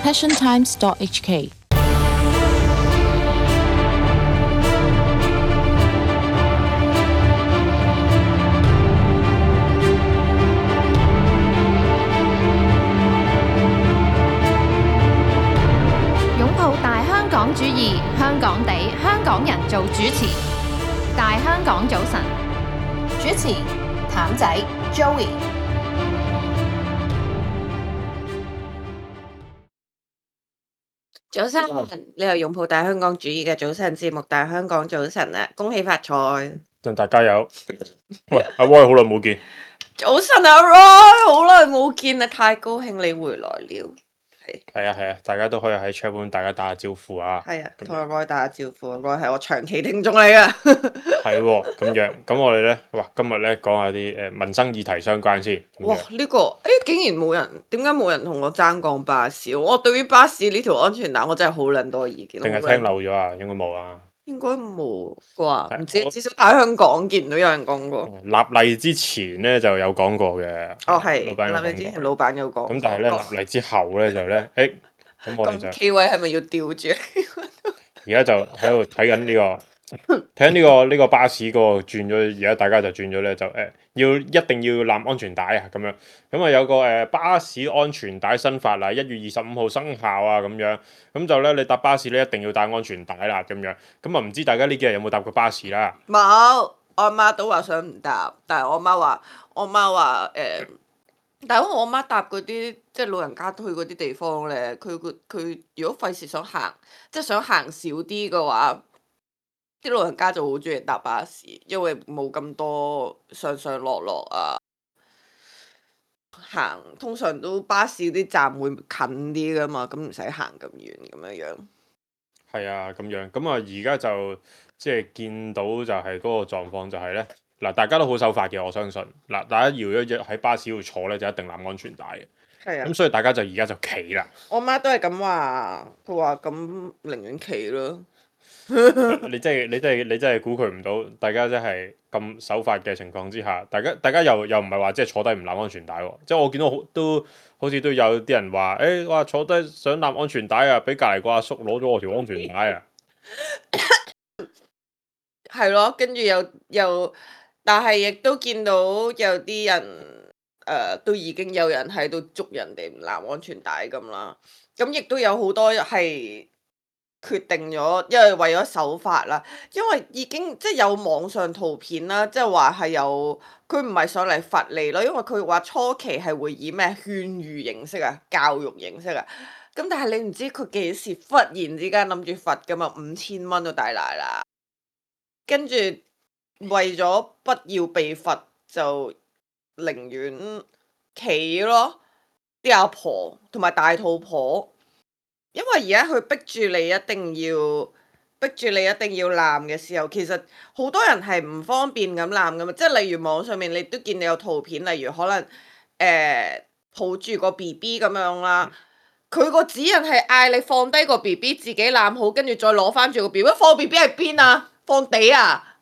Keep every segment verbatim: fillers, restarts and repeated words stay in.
passion times dot h k。擁抱大香港主義，香港地，香港人做主持。大香港早晨，主持譚仔 Joey。早晨，你係擁抱大香港主義嘅早晨節目《大香港早晨》啊！恭喜發財，祝大家有。喂，阿 Roy 好耐冇見。早晨啊 Roy，好耐冇見啊，太高興你回來了。係係啊係啊，大家都可以喺 chat room 大家打下招呼啊。係啊，同阿 Roy 打下招呼。Roy 係我長期聽眾嚟噶。係喎，咁樣咁我哋咧，哇，今日咧講下啲誒民生議題相關先。哇！呢、這個誒、欸、竟然冇人，點解冇人同我爭講巴士？我對於巴士呢條安全帶，我真係好撚多意見。定係聽漏咗啊？應該冇啊。應該冇啩？唔知，至少喺香港見唔到有人講過。立例之前咧就有講過嘅。哦，係。老闆有講過。立例之前，老闆有講。咁但係咧立例之後咧就咧，誒，咁我哋就。K 位係咪要吊住？而家就喺度睇緊呢個，睇緊呢個呢個巴士嗰個轉咗，而家大家就轉咗咧，就誒要一定要攬安全帶啊咁樣。咁啊有個誒巴士安全帶新法啊，一月二十五號生效啊咁樣。咁就咧你搭巴士咧一定要帶安全帶啦咁樣。咁啊唔知大家呢幾日有冇搭過巴士啦？冇，我阿媽都話想唔搭，但係我媽話，我媽話誒，但係我媽搭嗰啲即係老人家去嗰啲地方咧，佢佢佢如果費事想行，即係想行少啲嘅話，啲老人家就好中意搭巴士，因為冇咁多上上落落啊。行通常都巴士啲站會近啲噶嘛，咁唔使行咁遠咁樣樣。係啊，咁樣咁啊，而家就即係見到就係嗰個狀況就係咧，嗱大家都好守法嘅，我相信嗱，大家搖一搖喺巴士度坐咧就一定攬安全帶嘅。係啊。咁所以大家就而家就企啦。我媽都係咁話，佢話咁寧願企咯。你真係你真係你真係估佢唔到，大家真係咁守法嘅情況之下，大家大家又又唔係話即係坐低唔攬安全帶喎，即係我見到好都好似都有啲人話，誒話坐低想攬安全帶啊，俾隔離個阿叔攞咗我條安全帶啊。係咯，跟住又又，但係亦都見到有啲人誒、呃，都已經有人喺度捉人哋唔攬安全帶咁啦。咁亦都有好多係決定咗，因為為咗守法啦，因為已經即係有網上圖片啦，即係話係有佢唔係上嚟罰你咯，因為佢話初期係會以咩勸喻形式啊、教育形式啊，咁但係你唔知佢幾時忽然之間諗住罰噶嘛，五千蚊都大賴啦，跟住為咗不要被罰就寧願企咯，啲阿婆同埋大肚婆。因為而家佢逼住你一定要逼住你一定要攬嘅時候，其實好多人係唔方便咁攬噶嘛，即係例如網上面你都見到有圖片，例如可能誒、呃、抱住個 B B 咁樣啦，佢個指引係嗌你放低個 B B 自己攬好，跟住再攞翻住個 B B，放 B B 喺邊啊？放地啊？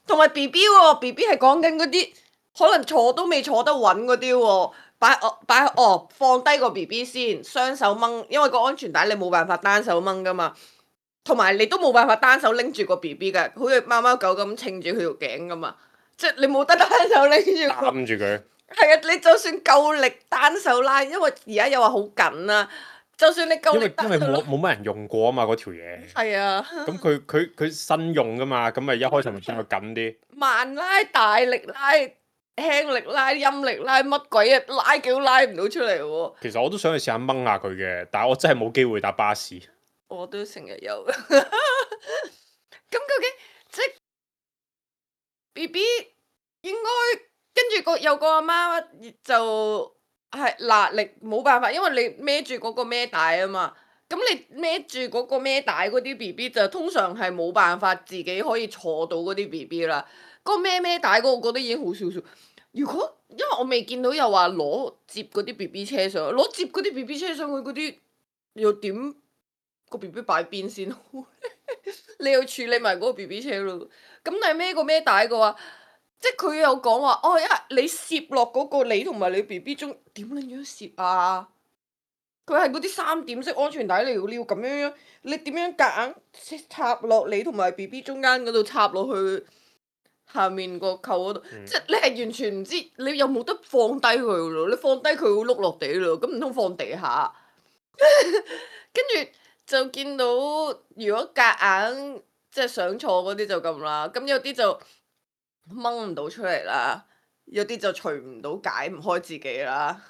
同埋 B B 喎 ，B B 係講緊嗰啲可能坐都未坐得穩嗰啲喎。擺哦擺哦放低個 B B 先，雙手掹，因為個安全帶你冇辦法單手掹噶嘛，同埋你都冇辦法單手拎住個 B B 嘅，好似貓貓狗咁稱住佢條頸噶嘛，即係你冇得單手拎住。攬住佢。係啊，你就算夠力單手拉，因為而家又話好緊啊，就算你夠力單手拉。因為因為冇冇乜人用過啊嘛，嗰條嘢。係啊。咁佢佢佢新用噶嘛，咁咪一開始咪將佢緊啲。慢拉大力拉。輕力拉、陰力拉乜鬼啊，拉幾都拉唔到出嚟喎。其實我都想去試下掹下佢嘅，但係我真係冇機會搭巴士。我都成日有。咁究竟即係 B B 應該跟住個有個阿媽就係嗱，你冇辦法，因為你孭住嗰個孭帶啊嘛。咁你孭住嗰個孭帶嗰啲 B B 就通常係冇辦法自己可以坐到嗰啲 B B 啦。嗰個孭孭帶嗰個，我覺得已經好少少。如果因為我未見到又話攞接嗰啲 B B 車上，攞接嗰啲 B B 車上去嗰啲又點個 B B 擺邊先？你要處理埋嗰個 B B 車咯。咁但係孭個孭帶嘅話，即係佢有講話哦，因為你攝落嗰個你同埋你 B B 中點撚樣攝啊？佢係嗰啲三點式安全帶嚟嘅，你要咁樣樣，你點樣夾硬插落你同埋 B B 中間嗰度插落去下面個扣嗰度，嗯即係你係完全唔知，你又冇得放低佢咯，你放低佢會碌落地咯，咁唔通放地下？跟住就見到，如果夾硬即係想坐嗰啲就咁啦，咁有啲就掹唔到出嚟啦，有啲就除唔到解唔開自己啦。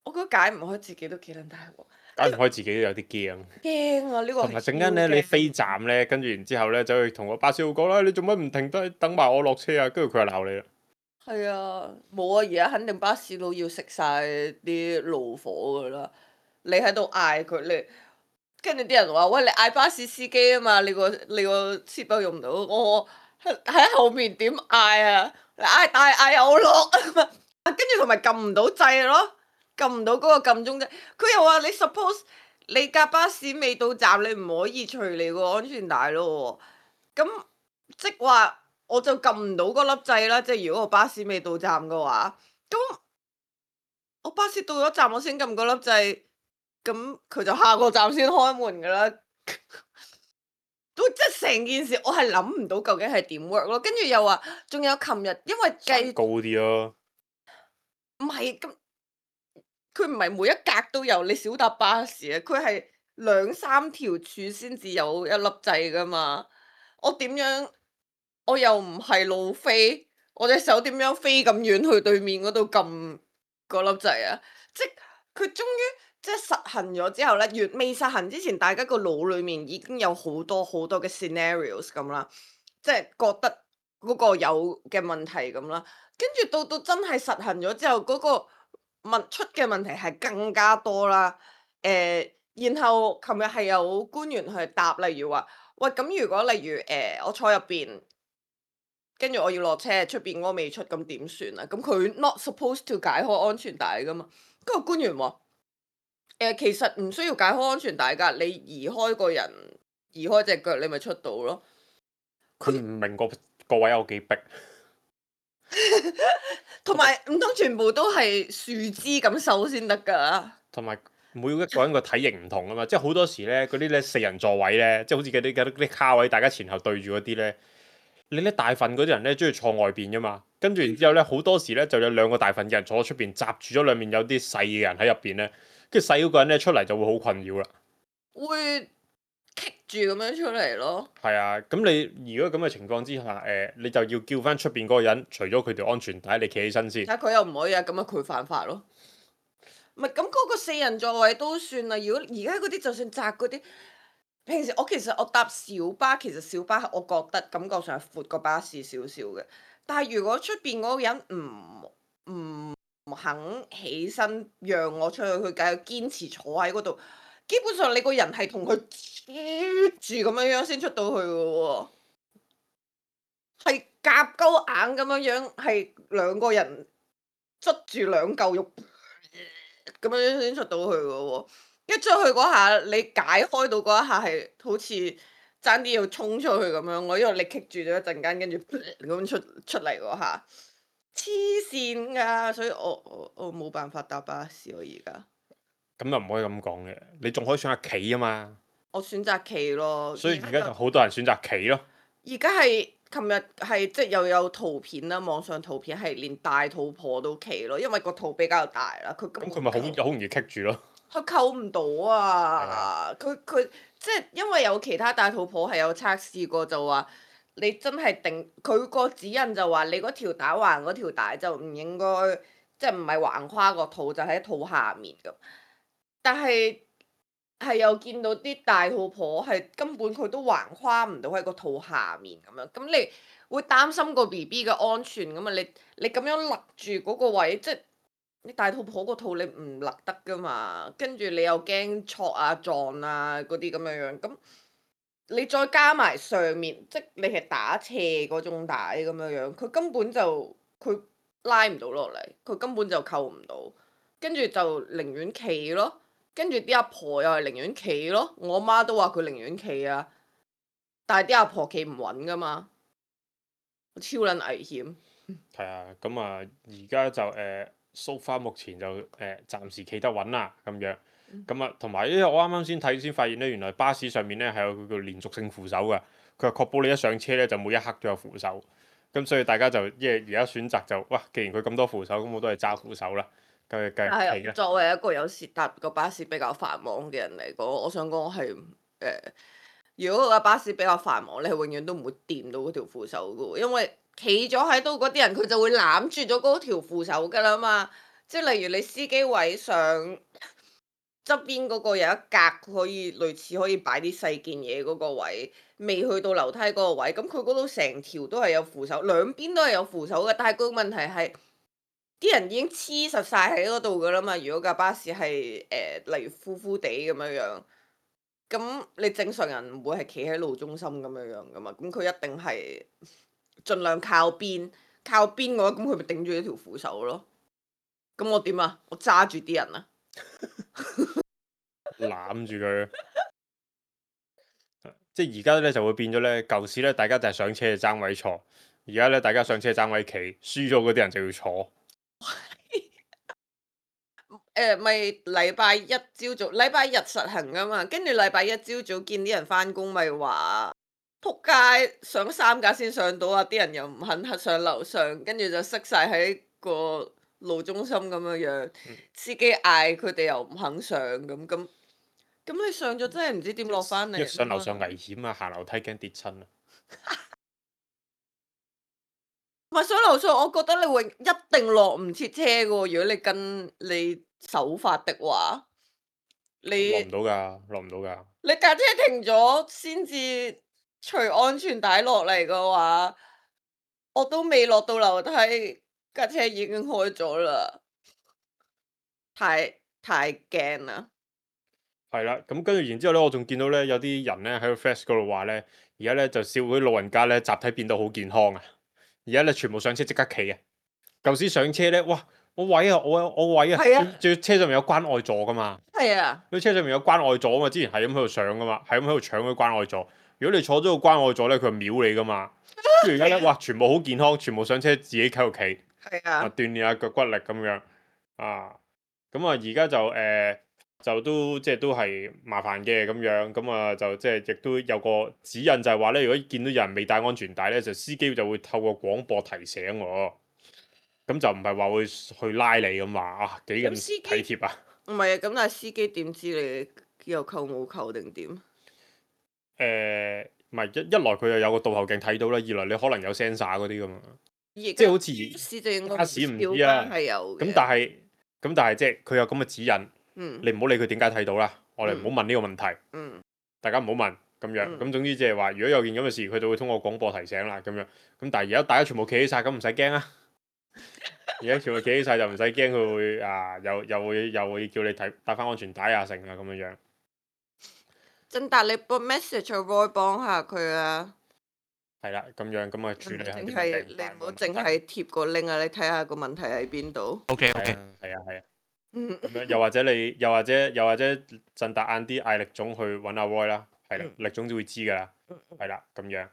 我覺得解唔開自己都幾撚大鑊，解唔開自己都有啲驚。驚啊！呢個同埋陣間咧，你飛站咧，跟住然之後咧，走去同個巴士佬講啦，你做乜唔停低等埋我落車啊？跟住佢就鬧你啦。係啊，冇啊！而家肯定巴士佬要食晒啲怒火噶啦。你喺度嗌佢，你跟住啲人話：喂，你嗌巴士司機啊嘛！你個你個車包用唔到，我喺後面點嗌啊？你嗌大嗌我落啊嘛！跟住同埋撳唔到掣咯。撳唔到嗰個撳鐘啫，佢又話你 suppose 你架巴士未到站，你唔可以除你個安全帶咯喎。咁即係話我就撳唔到嗰粒掣啦。即係如果我巴士未到站嘅話，咁我巴士到咗站我先撳嗰粒掣，咁佢就下個站先開門噶啦。都即係成件事，我係諗唔到究竟係點 work 咯。跟住又話，仲有琴日因為計高啲咯，唔係咁。佢唔係每一格都有，你少搭巴士啊！佢係兩三條柱先至有一粒掣噶嘛。我點樣？我又唔係路飛，我隻手點樣飛咁遠去對面嗰度撳嗰粒掣啊？即係佢終於即係實行咗之後咧，越未實行之前，大家個腦裡面已經有好多好多嘅 scenarios 咁啦，即係覺得嗰個有嘅問題咁啦。跟住到到真係實行咗之後，嗰、嗰個問出嘅問題係更加多啦，誒、呃，然後琴日係有官員去答，例如話，喂，咁如果例如誒、呃、我坐入邊，跟住我要落車，出邊嗰個未出，咁點算啊？咁佢 not supposed to 解開安全帶噶嘛？嗰個官員話，誒、呃，其實唔需要解開安全帶㗎，你移開個人，移開隻腳，你咪出到咯。佢唔明個個位有幾逼。同埋唔通全部都係樹枝咁瘦先得㗎？同埋每一個人個體型唔同啊嘛，即係好多時咧嗰啲咧四人座位咧，即係好似嗰啲嗰啲卡位，大家前後對住嗰啲咧，你咧大份嗰啲人咧中意坐外邊噶嘛，跟住然之後咧好多時咧就有兩個大份嘅人坐喺出邊，閘住咗兩面有啲細嘅人喺入邊咧，跟住細嗰個人咧出嚟就會好困擾啦。會棘住咁樣出嚟咯。係啊，咁你如果咁嘅情況之下，誒、呃、你就要叫翻出邊嗰個人，除咗佢條安全帶，你企起身先。但佢又唔可以啊，咁啊佢犯法咯。唔係咁嗰個四人座位都算啦。如果而家嗰啲就算窄嗰啲，平時我其實我搭小巴，其實小巴我覺得感覺上係闊過巴士少少嘅。但係如果出邊嗰個人唔唔肯起身讓我出去，佢繼續堅持坐喺嗰度，基本上你個人係同佢住咁樣樣先出到去嘅喎，係夾鳩硬咁樣樣，係兩個人捽住兩嚿肉咁樣樣先出到去嘅喎。一出去嗰下，你解開到嗰一下係好似爭啲要衝出去咁樣，我因為你棘住咗一陣間，跟住咁出出嚟嗰下，黐線㗎！所以我我我冇辦法搭巴士，我而家。咁又唔可以咁講嘅，你仲可以選下企啊嘛。我選擇企咯。所以而家就好多人選擇企咯。而家係琴日係即係又有圖片啦，網上圖片係連大肚婆都企咯，因為個肚比較大啦，佢咁佢咪好好容易棘住咯。佢扣唔到啊！佢佢即係因為有其他大肚婆係有測試過，就話你真係定佢個指引就話你嗰條打橫嗰條帶就唔應該，即係唔係橫跨個肚，就喺肚下面咁。但係係又見到啲大肚婆係根本佢都橫跨唔到喺個肚下面咁樣，咁你會擔心個 B B 嘅安全㗎嘛？你你咁樣勒住嗰個位，即係你大肚婆個肚你唔勒得㗎嘛？跟住你又驚挫啊撞啊嗰啲咁樣樣，咁你再加埋上面，即係你係打斜嗰種帶咁樣樣，佢根本就佢拉唔到落嚟，佢根本就扣唔到，跟住就寧願企咯。跟住啲阿婆又係寧願企咯，我媽都話佢寧願企啊，但係啲阿婆企唔穩噶嘛，超撚危險。係啊，咁啊，而家就誒 so far 目前就誒、呃、暫時企得穩啦咁樣。咁啊，同埋因為我啱啱先睇先發現咧，原來巴士上面咧係有佢叫連續性扶手㗎。佢係確保你一上車咧就每一刻都有扶手。咁所以大家就即係而家選擇就哇，既然佢咁多扶手，咁我都係揸扶手啦。繼續繼續企係啦。作為一個有時搭個巴士比較繁忙嘅人嚟講，我想講係誒，如果個巴士比較繁忙，你係永遠都唔會掂到嗰條扶手噶喎，因為企咗喺度嗰啲人佢就會攬住咗嗰條扶手噶啦嘛。即係例如你司機位上側邊嗰個有一格可以類似可以擺啲細件嘢嗰個位，未去到樓梯嗰個位，咁佢嗰度成條都係有扶手，兩邊都係有扶手嘅。但係個問題係啲人已經黐實晒喺嗰度噶啦嘛。如果架巴士係誒、呃、例如呼呼地咁樣樣，咁你正常人唔會係企喺路中心咁樣樣噶嘛。咁佢一定係盡量靠邊，靠邊嘅話，咁佢咪頂住一條扶手咯。咁我點啊？我揸住啲人啊！攬住佢，即係而家咧就會變咗咧，舊時咧大家就係上車就爭位坐，而家咧大家上車爭位企，輸咗嗰啲人就要坐。誒咪禮拜一朝早，禮拜日實行噶嘛，跟住禮拜一朝早見啲人翻工，咪話仆街上三架先上到啊！啲人又唔肯上樓上，跟住就塞晒喺個路中心咁樣樣，司機嗌佢哋又唔肯上咁咁。咁你上咗真係唔知點落翻嚟。上樓上危險啊，行樓梯驚跌親啊！唔係上樓上，我覺得你永一定落唔切車嘅喎。如果你跟你手法的話，你落唔到㗎，落唔到㗎。你架車停咗先至除安全帶落嚟嘅話，我都未落到樓梯，架車已經開咗啦，太太驚啦！係啦，咁跟住然之後咧，我仲見到咧有啲人咧喺個 Flash 嗰度話咧，而家咧就笑嗰啲老人家咧集體變到好健康啊！而家咧全部上車即刻企啊！舊時上車咧，哇！我位啊，我我位啊，係啊仲要車上面有關愛座噶嘛？係啊，佢車上面有關愛座啊嘛，之前係咁喺度上噶嘛，係咁喺度搶嗰啲關愛座。如果你坐咗個關愛座咧，佢係秒你噶嘛。跟住而家咧，哇！全部好健康，全部上車自己喺度企，係啊啊，鍛鍊下腳骨力咁樣啊。咁啊，而家就誒。呃就都即係都係麻煩嘅咁樣，咁啊就即係亦都有個指引，就係話咧，如果見到有人未帶安全帶咧，就司機就會透過廣播提醒我，咁就唔係話會去拉你咁話啊，幾咁體貼啊？唔係啊，咁但係司機點知你有扣冇扣定點？誒，唔係一一來佢又有個倒後鏡睇到啦，二來你可能有 sensor 嗰啲噶嘛，即係好似巴士唔知啊，係有咁但係咁但係即係佢有咁嘅指引。嗯、你唔好理佢點解睇到啦，我哋唔好問呢個問題，嗯、大家唔好問咁樣，咁、嗯、總之即係話，如果有件咁嘅事，佢就會通過廣播提醒啦，咁樣，咁但係而家大家全部企起晒，咁唔使驚啊！而家全部企起晒就唔使驚，佢會啊，又又會又會叫你睇戴翻安全帶啊，成啊咁樣樣。真達，你撥 message 去 Roy 幫下佢啊！係啦，咁樣咁啊處理下啲問題。係你唔好淨係貼個 link 啊，你睇下個問題喺邊度。OK OK。係啊係啊。咁樣又或者你，又或者又或者陣達晏啲嗌力總去揾阿 Roy 啦，係啦，力總就會知噶啦，係啦，咁樣。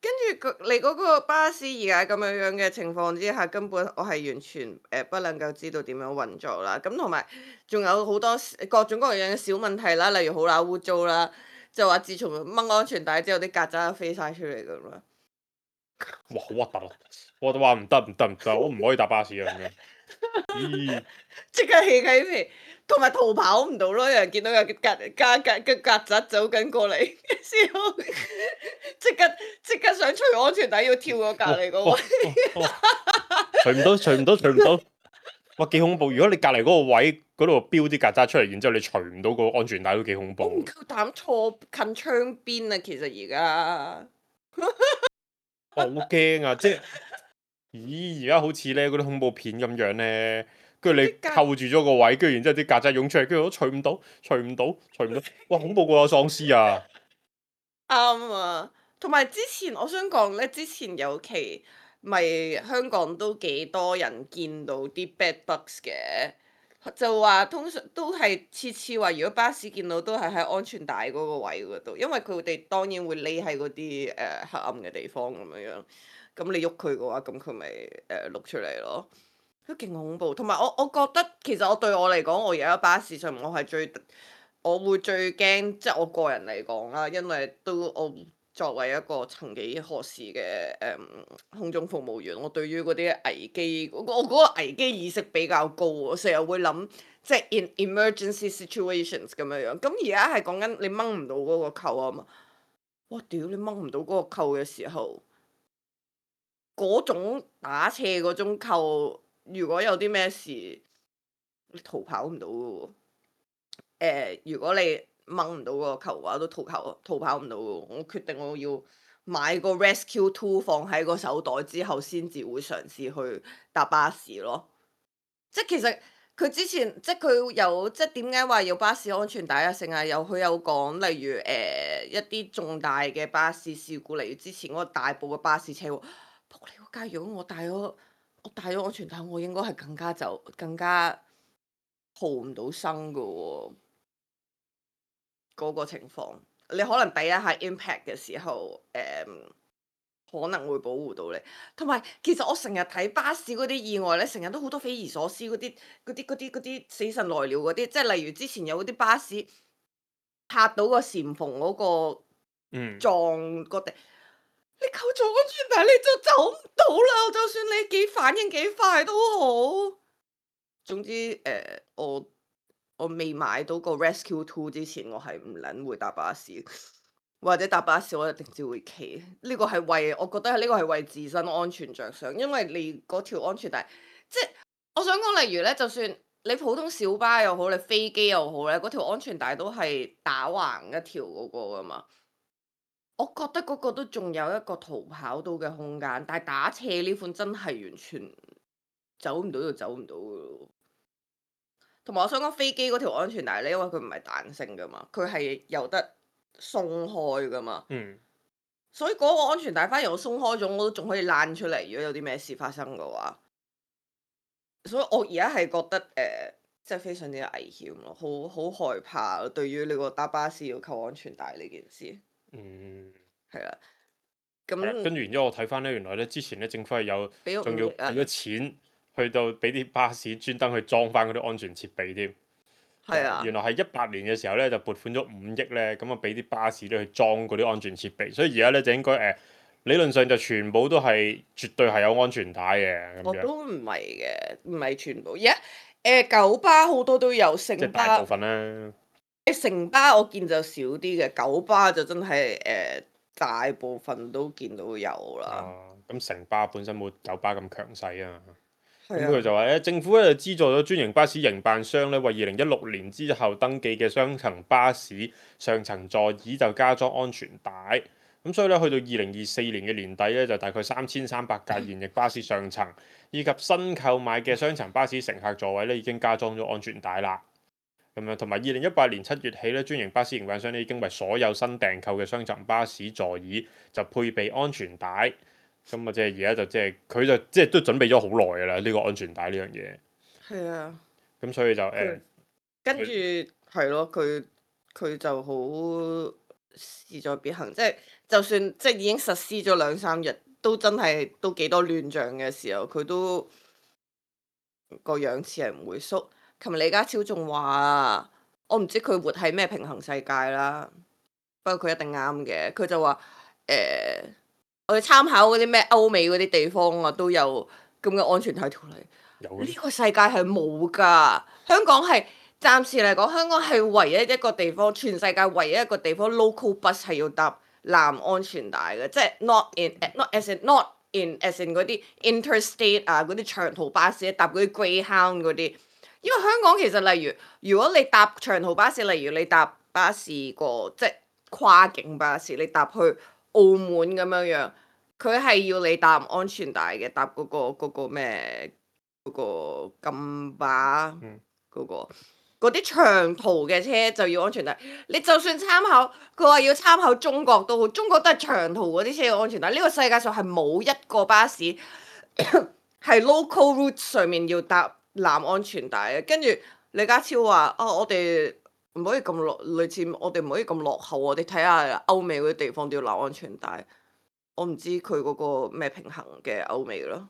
跟住你嗰個巴士而家咁樣樣嘅情況之下，根本我係完全誒、呃、不能夠知道點樣運作啦。咁同埋仲有好多各種各樣嘅小問題啦，例如好乸污糟啦，就話自從掹安全帶之後，啲曱甴飛晒出嚟噶啦。哇！好核突啊！我都話唔得唔得唔得，我唔可以搭巴士啊咁樣。咦！即刻起雞皮，同埋逃跑唔到咯。有人見到有曱曱曱嘅曱甴走緊過嚟嘅時候，即刻即刻想除安全帶，要跳過隔離嗰位。除唔到，除唔到，除唔到。哇！幾恐怖！如果你隔離嗰個位嗰度標啲曱甴出嚟，然之後你除唔到個安全帶都幾恐怖。我唔夠膽坐近窗邊啊！其實而家。我好驚啊！即係，咦？而家好似咧嗰啲恐怖片咁樣咧，跟住你扣住咗個位，跟住然之後啲曱甴湧出嚟，跟住我除唔到，除唔到，除唔到，哇！恐怖過有喪屍啊！啱啊！同埋之前我想講咧，之前有期咪香港都幾多人見到啲 bed bugs 嘅。就話通常都係次次話，如果巴士見到都係喺安全帶嗰個位嗰度，因為佢哋當然會匿喺嗰啲誒黑暗嘅地方咁樣樣。咁你喐佢嘅話，咁佢咪誒碌出嚟咯。都勁恐怖。同埋我我覺得其實我對我嚟講，我而家巴士上面我係最我會最驚，即係我個人嚟講啦，因為都我作為一個曾幾何時嘅誒、嗯、空中服務員，我對於嗰啲危機，我我嗰個危機意識比較高，我成日會諗即係 in emergency situations 咁樣樣。咁而家係講緊你掹唔到嗰個扣啊嘛，哇屌你掹唔到嗰個扣嘅時候，嗰種打斜嗰種扣，如果有啲咩事，你逃跑唔到嘅喎。誒，如果你掹唔到嗰個球嘅話，都逃跑逃跑唔到嘅喎。我決定我要買個 Rescue Two 放喺個手袋之後，先至會嘗試去搭巴士咯。即係其實佢之前即係佢有即係點解話要巴士安全帶啊？成日有佢有講，例如誒、呃、一啲重大嘅巴士事故，例如之前嗰個大埔嘅巴士車禍，仆你個街！如果我帶咗我帶咗安全帶，我應該係更加就更加逃唔到生嘅喎。嗰個情況，你可能第一下 impact 嘅時候，誒、嗯、可能會保護到你。同埋其實我成日睇巴士嗰啲意外咧，成日都好多匪夷所思嗰啲嗰啲嗰啲嗰啲死神來了嗰啲，即係例如之前有嗰啲巴士拍到個簷篷嗰個嗯，撞個地，你扣咗安全帶你就走唔到啦，就算你幾反應幾快都好。總之誒、呃，我。我未買到個 Rescue Two 之前，我係唔撚會搭巴士，或者搭巴士我一定只會企。呢個係為我覺得係呢個係為自身安全着想，因為你嗰條安全帶，即係我想講，例如咧，就算你普通小巴又好，你飛機又好咧，嗰條安全帶都係打橫一條嗰個噶嘛。我覺得嗰個都仲有一個逃跑到嘅空間，但係打斜呢款真係完全走唔到就走唔到噶咯。同埋我想講飛機嗰條安全帶咧，因為佢唔係彈性噶嘛，佢係有得鬆開噶嘛，嗯，所以嗰個安全帶反而我鬆開咗，我都仲可以躝出嚟。如果有啲咩事發生嘅話，所以我而家係覺得誒，即、呃、係非常之危險咯，好好害怕對於你個搭巴士要扣安全帶呢件事。嗯，係啦，咁跟住然之後我睇翻咧，原來咧之前咧政府係有俾咗仲要五億啊俾咗錢去到俾啲巴士專登去裝翻嗰啲安全設備添。係啊，原來係一八年嘅時候咧就撥款咗五億咧，咁啊俾啲巴士咧去裝嗰啲安全設備，所以而家咧就應該誒、呃、理論上就全部都係絕對係有安全帶嘅咁樣。我都唔係嘅，唔係全部。而家誒九巴好多都有，城即係大巴部分啦。城巴我見就少啲嘅，九巴就真係誒、呃、大部分都見到有啦。啊，咁城巴本身冇九巴咁強勢啊。咁係啊，佢就話咧，政府咧就資助咗專營巴士營辦商咧，為二零一六年之後登記嘅雙層巴士上層座椅就加裝安全帶。咁所以咧，去到二零二四年嘅年底咧，就大概三千三百架現役巴士上層，以及新購買嘅雙層巴士乘客座位咧，已經加裝咗安全帶啦。咁樣同埋二零一八年七月起咧，專營巴士營辦商咧已經為所有新訂購嘅雙層巴士座椅就配備安全帶。咁啊，即係而家就即係佢就即係都準備咗好耐㗎啦，呢個安全帶呢樣嘢。係啊，咁所以就誒，佢跟住係咯，佢佢就好勢在必行，即係就算即係已經實施咗兩三日，都真係都幾多亂象嘅時候，佢都個樣似係唔會縮。琴日李家超仲話，我唔知佢活喺咩平衡世界啦，不過佢一定啱嘅。佢就話誒。呃我哋參考嗰啲咩歐美嗰啲地方啊，都有咁嘅安全帶條例。有呢個世界係冇㗎，香港係暫時嚟講，香港係唯一一個地方，全世界唯一一個地方 local bus 係要搭藍安全帶嘅，即係 not in not as in not in as in 嗰啲 interstate 啊，嗰啲長途巴士搭嗰啲 Greyhound 嗰啲。因為香港其實例如，如果你搭長途巴士，例如你搭巴士個即係跨境巴士，你搭去澳門咁樣樣，佢係要你搭安全帶嘅，搭嗰、嗰個嗰、嗰個咩嗰、嗰個金巴嗰、嗯嗰個嗰啲長途嘅車就要安全帶。你就算參考佢話要參考中國都好，中國都係長途嗰啲車要安全帶。呢、呢個世界上係冇一個巴士係 local route 上面要搭藍安全帶嘅。跟住李家超話：啊，我哋唔可以咁落，類似我哋唔可以咁落後。我哋睇下歐美嗰啲地方都要攬安全帶。我唔知佢嗰個咩平衡嘅歐美咯。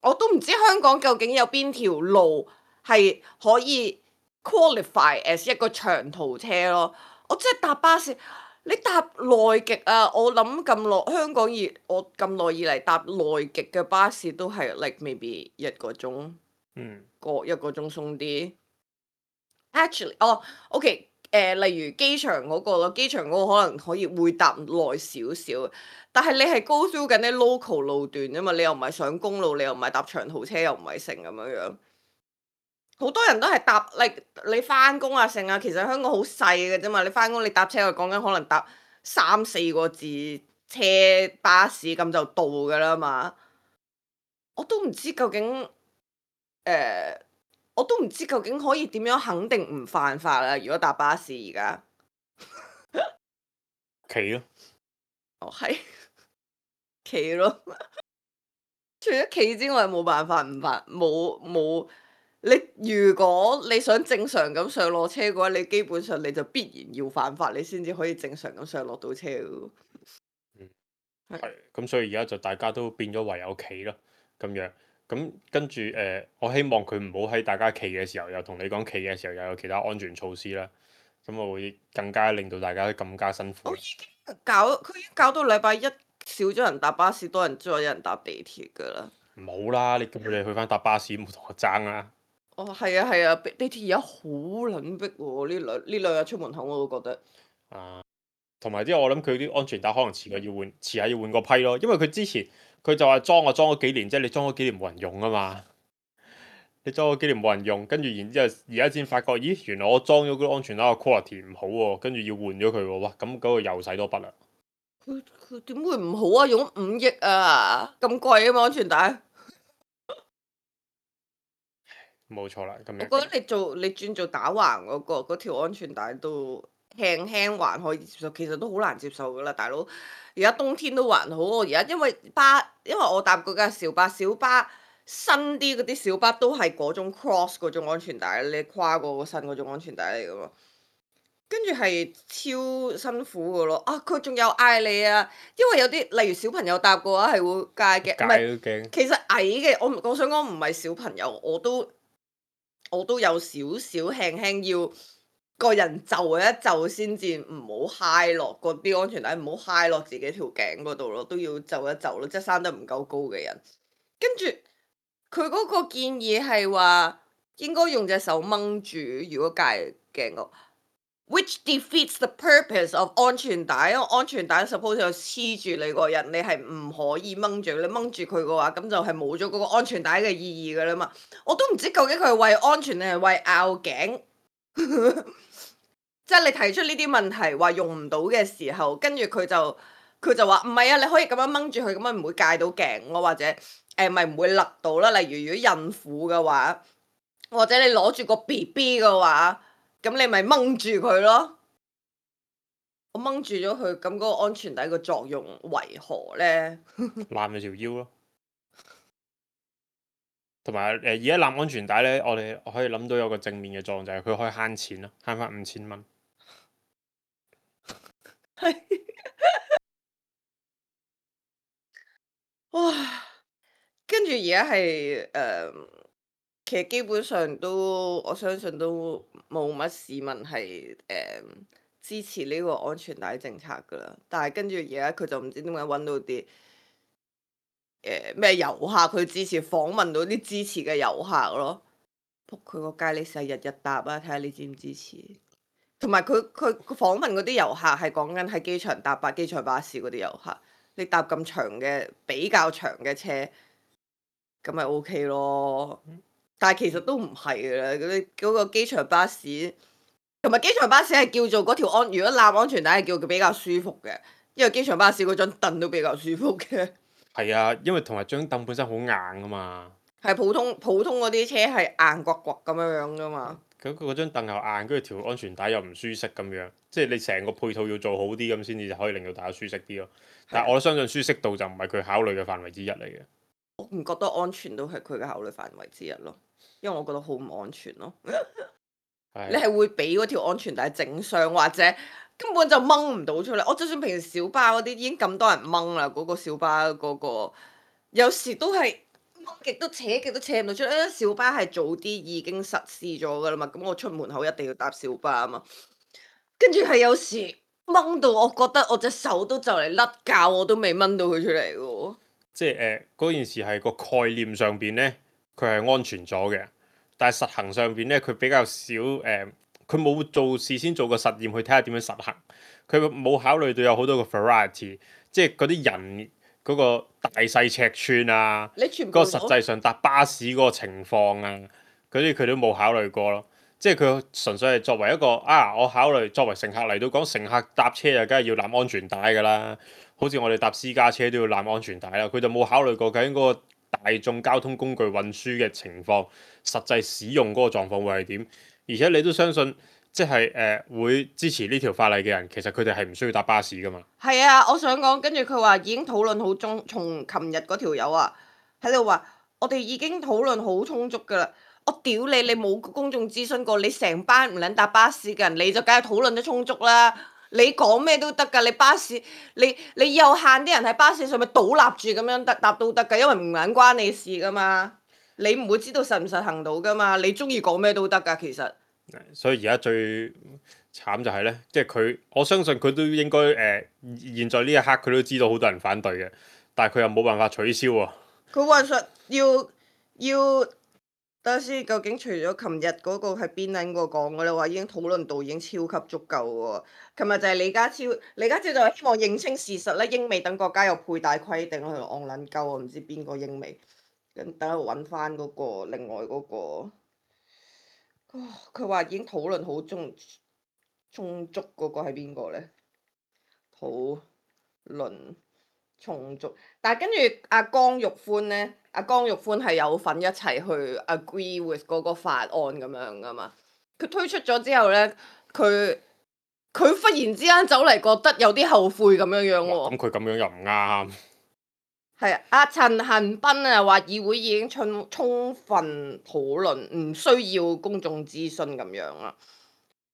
我都唔知香港究竟有邊條路係可以 qualify as 一個長途車咯。我真係搭巴士，你搭內極啊！我諗咁耐香港以我咁耐以嚟搭內極嘅巴士都係 like maybe 一個鐘，嗯，個一個鐘鬆啲。Actually，哦，OK。誒、呃，例如機場嗰個咯，機場嗰個可能可以會搭耐少少，但係你係 go through 緊啲 local 路段啫嘛，你又唔係上公路，你又唔係搭長途車，又唔係成咁樣樣。好多人都係搭，like, 你翻工啊成啊，其實香港好細嘅啫嘛，你翻工你搭車，我講緊可能搭三四個字車巴士咁就到㗎啦嘛。我都唔知究竟誒。呃我都唔知究竟可以點樣肯定唔犯法啦。如果搭巴士而家，企咯，哦係企咯。除咗企之外，冇辦法唔犯，冇冇你。如果你想正常咁上落車嘅話，你基本上你就必然要犯法，你先至可以正常咁上落到車嘅。嗯，係咁，所以而家就大家都變咗唯有企咯，咁樣。咁跟住誒、呃，我希望佢唔好喺大家企嘅時候，又同你講企嘅時候又有其他安全措施啦。咁我會更加令到大家更加辛苦。我已經搞佢已經搞到禮拜一少咗人搭巴士，多人再有人搭地鐵㗎啦。冇啦，你叫佢哋去翻搭巴士，冇同我爭啦。哦，係啊係啊，地鐵而家好撚逼喎！呢兩呢兩日出門口我都覺得。啊，同埋之後我諗佢啲安全帶可能遲個要換，遲下要換個批咯，因為佢之前。佢就話裝啊裝咗幾年，即係你裝咗幾年冇人用啊嘛，你裝咗幾年冇人用，跟住然之後而家先發覺，咦原來我裝咗嗰個安全帶個 quality 唔好喎，跟住要換咗佢喎，哇咁嗰個又使多筆啦。佢佢點會唔好啊？用五億啊，咁貴啊嘛安全帶。冇錯啦，咁樣。我覺得你做你轉做打橫嗰、嗰個嗰條安全帶都輕輕還可以接受，其實都好難接受噶啦，大佬。而家冬天都還好，我而家因為巴，因為我搭嗰架小巴，小巴新啲嗰啲小巴都係嗰種 cross 嗰種安全帶，你跨過個身嗰種安全帶嚟噶嘛。跟住係超辛苦噶咯，啊佢仲有嗌你啊，因為有啲例如小朋友搭嘅話係會戒嘅，唔係，其實矮嘅，我我想講唔係小朋友，我都我都有少少輕輕要。個人就一就先至唔好揩落嗰啲安全帶，唔好揩落自己條頸嗰度咯，都要就一就咯，即係生得唔夠高嘅人。跟住佢嗰個建議係話應該用隻手掹住，如果戒頸個 which defeats the purpose of 安全帶，因為安全帶 suppose 有黐住你個人，你係唔可以掹住，你掹住佢嘅話，咁就係冇咗嗰個安全帶嘅意義㗎啦嘛。我都唔知究竟佢係為安全定係為拗頸。即係你提出呢啲問題話用唔到嘅時候，跟住佢就佢就話唔係啊，你可以咁樣掹住佢，咁樣唔會戒到頸咯，或者誒咪唔會勒到啦。例如如果孕婦嘅話，或者你攞住個 B B 嘅話，咁你咪掹住佢咯。我掹住咗佢，咁嗰個安全帶個作用為何呢？攬你條腰咯。同埋誒，而家攬安全帶咧，我哋可以諗到有個正面嘅作用，就係、是、佢可以慳錢咯，慳翻五千蚊。係，哇！跟住而家係誒，其實基本上都我相信都冇乜市民係誒、呃、支持呢個安全帶政策噶啦。但係跟住而家佢就唔知點解揾到啲誒咩遊客，佢支持訪問到啲支持嘅遊客咯。仆佢個街，你成日日搭啊，睇下你支唔支持？同埋佢佢訪問嗰啲遊客係講緊喺機場搭巴機場巴士嗰啲遊客，你搭咁長嘅比較長嘅車，咁咪 O K 咯。但係其實都唔係嘅啦，嗰啲嗰個機場巴士同埋機場巴士係叫做嗰條安，如果攬安全帶係叫佢比較舒服嘅，因為機場巴士嗰張凳都比較舒服嘅。係啊，因為同埋張凳本身好硬啊嘛。係普通普通嗰啲車係硬刮刮咁樣樣噶嘛。咁佢嗰張凳又硬，跟住條安全帶又唔舒適咁樣，即係你成個配套要做好啲咁先至可以令到大家舒適啲咯。但係我相信舒適度就唔係佢考慮嘅範圍之一嚟嘅。我唔覺得安全都係佢嘅考慮範圍之一咯，因為我覺得好唔安全咯。你係會俾嗰條安全帶整傷，或者根本就掹唔到出嚟。我就算平時小巴嗰啲已經咁多人掹啦，嗰個小巴嗰個有時都係掹極都扯極都扯唔到出嚟，因為小巴係早啲已經實施咗噶啦嘛，咁我出門口一定要搭小巴啊嘛。跟住係有時掹到我覺得我隻手都就嚟甩臼，我都未掹到佢出嚟喎。即係誒嗰件事係個概念上邊咧，佢係安全咗嘅，但係實行上邊咧，佢比較少誒，佢、呃、冇做事先做個實驗去睇下點樣實行，佢冇考慮到有好多個 variety，即係嗰啲人嗰個大細尺寸啊，你全部嗰個實際上搭巴士嗰個情況啊，嗰啲佢都冇考慮過咯。即係佢純粹係作為一個啊，我考慮作為乘客嚟到講，乘客搭車啊，梗係要攬安全帶㗎啦。好似我哋搭私家車都要攬安全帶啦。佢就冇考慮過究竟嗰個大眾交通工具運輸嘅情況，實際使用嗰個狀況會係點。而且你都相信，即係誒、呃、會支持呢條法例嘅人，其實佢哋係唔需要搭巴士㗎嘛。係啊，我想講，跟住佢話已經討論好中，從琴日嗰條友啊喺度話，我哋已經討論好充足㗎啦。我屌你，你冇公眾諮詢過，你成班唔撚搭巴士嘅人，你就梗係討論得充足啦。你講咩都得㗎，你巴士你你有限啲人喺巴士上面倒立住咁樣搭搭都得㗎，因為唔撚關你事㗎嘛。你唔會知道實唔實行到㗎嘛，你中意講咩都得㗎，其實。所以而家最慘就係咧，即係佢，我相信佢都應該誒、呃，現在呢一刻佢都知道好多人反對嘅，但係佢又冇辦法取消喎。佢話實要要。等下先，究竟除咗琴日嗰個係邊撚個講嘅咧？話已經討論到已經超級足夠喎。琴日就係李家超，李家超就係希望認清事實咧，英美等國家有佩戴規定，喺度戇撚鳩啊！唔知邊個英美，跟等我揾翻嗰個另外嗰、嗰個。佢話已經討論好充充足嗰個係邊個咧？討論充足，但係跟住阿江玉歡咧。阿江玉歡係有份一齊去 agree with 嗰個法案咁樣噶嘛？佢推出咗之後咧，佢佢忽然之間走嚟覺得有啲後悔咁樣樣喎。咁佢咁樣又唔啱。係啊，阿陳恒鑌啊話議會已經充充分討論，唔需要公眾諮詢咁樣啦。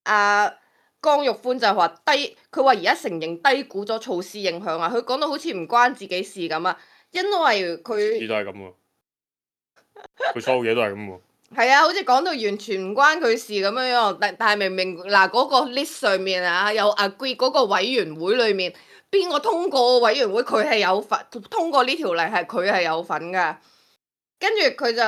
阿江玉歡就話低，佢話而家承認低估咗措施影響啊。佢講到好似唔關自己事咁啊。因為佢，都係咁喎，佢所有嘢都係咁喎。係啊，好似講到完全唔關佢事咁樣樣，但但係明明嗱嗰個 list 上面啊，有 agree 嗰個委員會裏面邊個通過委員會，佢係有份通過呢條例，係佢係有份噶。跟住佢就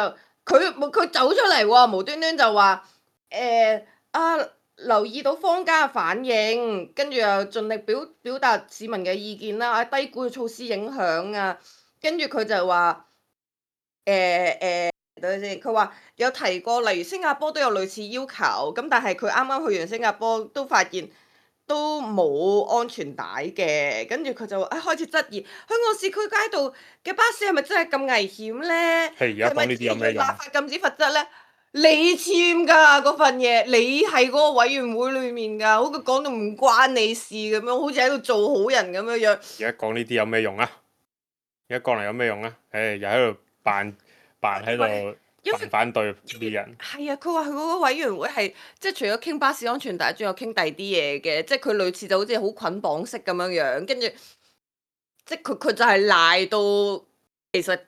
佢佢走出嚟喎，無端端就話誒啊，留意到坊間嘅反應，跟住又盡力表表達市民嘅意見啦，啊低估嘅措施影響啊。跟住佢就話誒誒，等陣先。佢話有提過，例如新加坡都有類似要求，咁但係佢啱啱去完新加坡都發現都冇安全帶嘅。跟住佢就啊開始質疑香港市區街道嘅巴士係咪真係咁危險咧？係而家講呢啲有咩用？立法禁止罰則咧？你簽㗎嗰份嘢，你係嗰個委員會裡面㗎，好似講到唔關你事咁樣，好似喺度做好人咁樣樣。而家講呢啲有咩用啊？而家講嚟有咩用啊？誒，又喺度扮扮喺度扮反對啲人。係啊，佢話佢嗰個委員會係即係除咗傾巴士安全帶，仲有傾第二啲嘢嘅，即係佢類似就好似好捆綁式咁樣樣，跟住即係佢佢就係賴到其實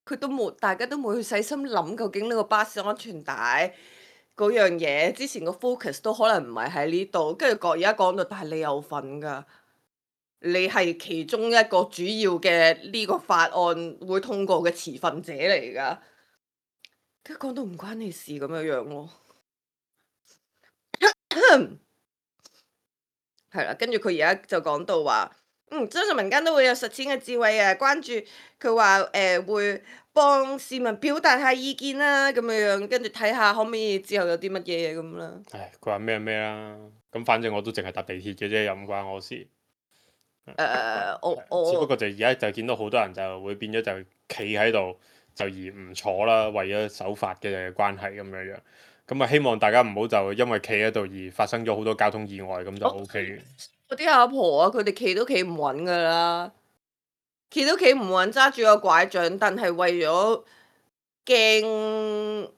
佢都冇，大家都冇去細心諗究竟呢個巴士安全帶嗰樣嘢，之前個 focus 都可能唔係喺呢度，跟住講而家講到，但係你有份㗎。你係其中一個主要嘅呢個法案會通過嘅持份者嚟㗎，跟住講到唔關你事咁樣樣咯，係啦，跟住佢而家就講到話，嗯，相信民間都會有實踐嘅智慧啊，關注佢話誒會幫市民表達下意見啦，咁樣樣，跟住睇下可唔可以之後有啲乜嘢嘢咁啦。唉，佢話咩咩啦，咁反正我都淨係搭地鐵嘅啫，又唔關我事。誒、uh, 我我只不過就而家就見到好多人就會變咗就企喺度就而唔坐啦，為咗守法嘅關係咁樣樣。咁啊，希望大家唔好就因為企喺度而發生咗好多交通意外，咁就 O K 嘅。嗰啲阿婆啊，佢哋企都企唔穩噶啦，企都企唔穩，揸住個拐杖，但係為咗驚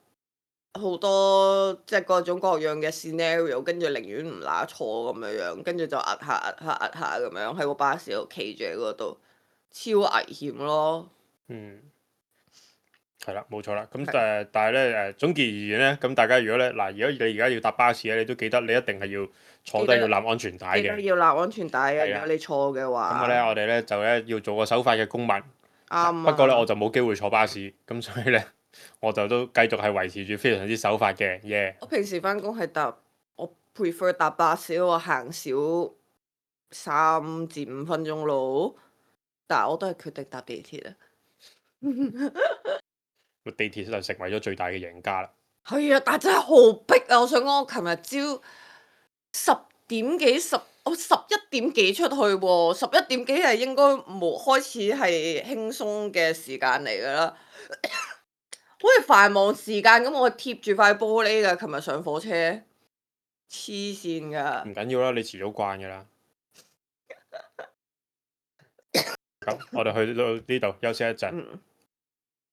好多即係各種各樣嘅 scenario，跟住寧願唔乸坐咁樣樣，跟住就壓下壓下壓下咁樣喺個巴士度企住喺嗰度，超危險咯。嗯。係啦，冇錯啦。咁係誒，但係咧誒，總結而言咧，咁大家如果咧嗱，如果你而家要搭巴士咧，你都記得你一定係要坐低記得要攬安全帶記得嘅。要攬安全帶嘅，係啊如果你錯嘅話。咁咧，我哋咧就咧要做個守法嘅公民。啱不過咧，啊我就冇機會坐巴士，咁所以咧，我就都繼續係維持住非常之守法嘅，耶、我平時翻工係搭，我 prefer 搭巴士，我行少三至五分鐘路，但係我都係決定搭地鐵啊。個地鐵就成為咗最大嘅贏家啦。係啊，但係真係好逼啊！我想講，我琴日朝十點幾十，我十一點幾出去喎，十一點幾係應該冇開始係輕鬆嘅時間嚟㗎啦。好似繁忙時間咁，我貼住塊玻璃㗎。琴日上火車，黐線㗎。唔緊要啦，你遲早慣㗎啦。咁我哋去到呢度休息一陣。嗯。